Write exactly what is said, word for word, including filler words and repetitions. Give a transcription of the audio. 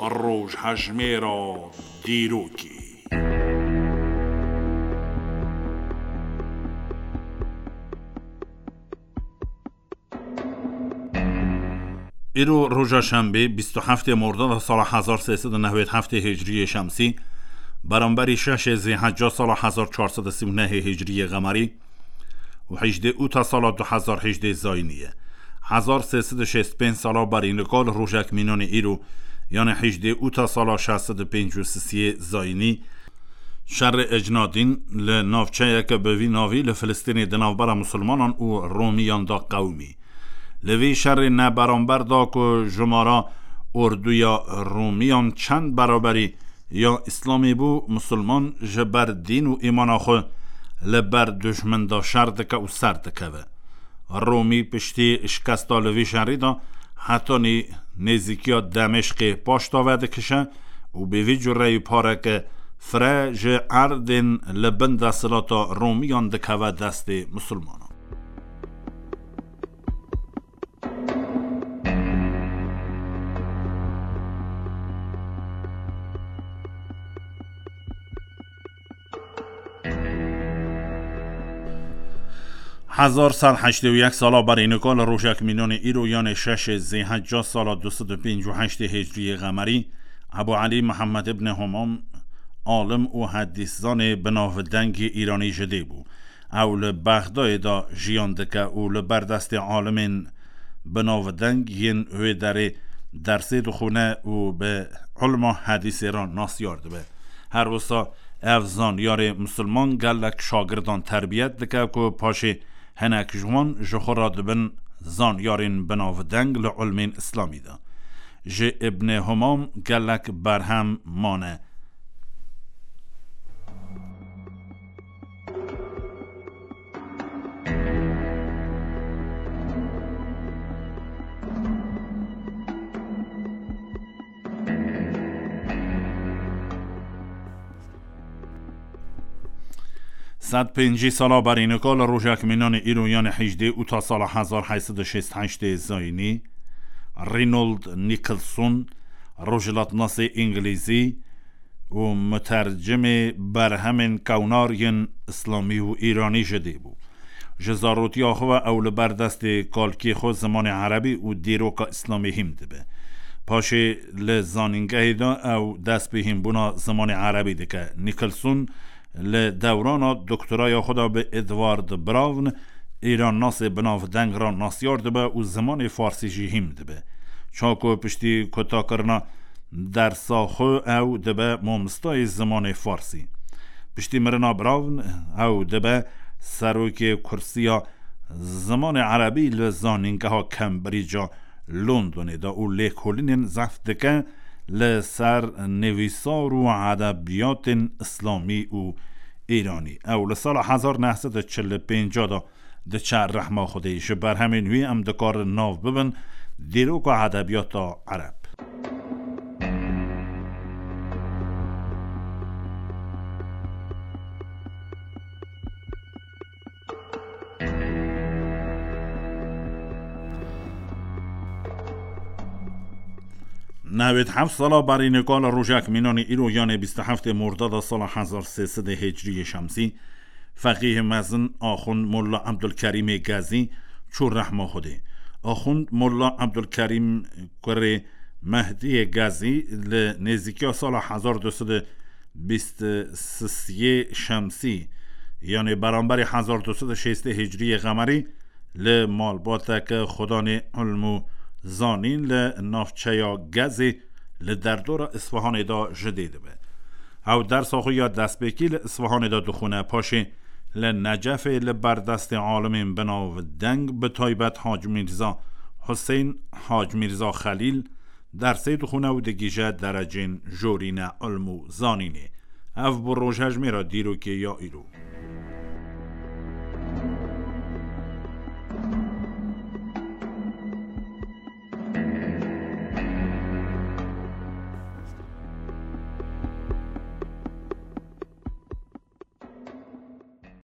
Rojhejmêra dîrokê. Îro roja şembê, bîst û heftê mordada sala hezar sê sed û newêd heftê hicriyê şemsî, beramberî şeşê zêhecca sala hezar çar sed û sî û nehê hicriyê qemerî û hejdê ûta sala du hezar hejdê zayînî ye. Hezar sê sed û şêst pênc sala berî nika li rojek mînanê îro, yanê hejdê ûta sala şeş sed û pêncî û sisiyê zayînî, şerê ecnadîn li navçeyeke bi vî navî li Filistînê di navbera Musulmanan û Romiyan de qewimî. Li vî şerê neberamber da ku jimara orduya Romiyan çend beraberî ya Îslamê bû, Musulman ji ber dîn û îmana xwe li ber dujmin de şer dike û ser dikeve. Romî piştî şikesta li vî şerî de hetanî nêzîkiya Demeşqê paşta vedikişe û bi vî cureyî pareke fire ji erdên li bin desthilata Romiyan dikeve destê Musulmanan. Hezar sed heştê û yek sala berî nika li rojek mînanê îro, yanê şeşê zêhecca sala du sed û pêncî û heştê hicriyê qemerî, Ebu Elî Mihemed ibn Homam, alim û hedîszanê binavdengê Îranî ji dê bû. Ew li Bexdayê de jiyan dike û li ber destê alimên binavdeng yên wê derê dersê dixwîne û bi ilma hedîsê re nasyar dibe. Her wisa ev zanyarê misilman gelek şagirdan terbiyet dike ku paşê hinek ji wan ji xwe re dibin zanyarên binavdeng li ilmên îslamî de. Ji Îbnê Humam gelek berhem mane. Sed pêncî sala berî nika li rojek mînanê îro, yanê hejdê ûta sala hezar heyt sed û şêst heştê zayînî, Reynold Nicholson, rojhilatnasê îngilîzî û mutercimê berhemên kewnar yên îslamî û îranî ji dê bû. Ji zarotiya xwe ve ew li ber destê kalkê xwe zimanê erebî û dîroka îslamî hîn dibe. Paşê li zanîngehê de ew dest bi hînbûna zimanê erebî dike. Nicholson li dewrana doktoraya xwe de bi Edward Brown, îrannasê binavdeng re nasyar dibe û zimanê farsî jî hîn dibe. Çaku piştî kutakirina dersa xwe ew dibe mamostayê zimanê farsî. Piştî mirina Brown ew dibe serokê kursiya zimanê erebî li zanîngeha Cambridge-a Londonê de û lêkolînên zehf dike li ser nivîsar û edebiyatên îslamî û îranî. Ew li sala hezar neh sed û çil û pênc de diçe rehma Xwedê. Ji berhemên wî em dikarin nav bibin dîroka edebiyata ereb. Newêd heft sala berî nika li rojek mînanê îro, yanê bîst û heftê mordada sala hezar sê sed hicriyê şemsî, feqîhê mezin Axund Molla Ebdulkerîmê Gezî çû rehma Xwedê. Axund Molla Ebdulkerîm kurê Mehdiyê Gezî li nêzîkiya sala hezar du sed û bîst û sisiyê şemsî, yanê beramberî hezar du sed û şêstê hicriyê qemerî, li malbateke xwedanê ilm û zanîn li navçeya Gezê li derdora Îsfahanê de ji dê dibe. Ew dersa xwe ya destpêkî li Îsfahanê de dixwîne, paşê li Necefê li ber destê alimên binavdeng, bi taybet Hac Mîrza Husên, Hac Mîrza Xelîl, dersê dixwîne û digihîje derecên jorîne ilm û zanînê. Ev bû rojhejmêra dîrokê ya îro.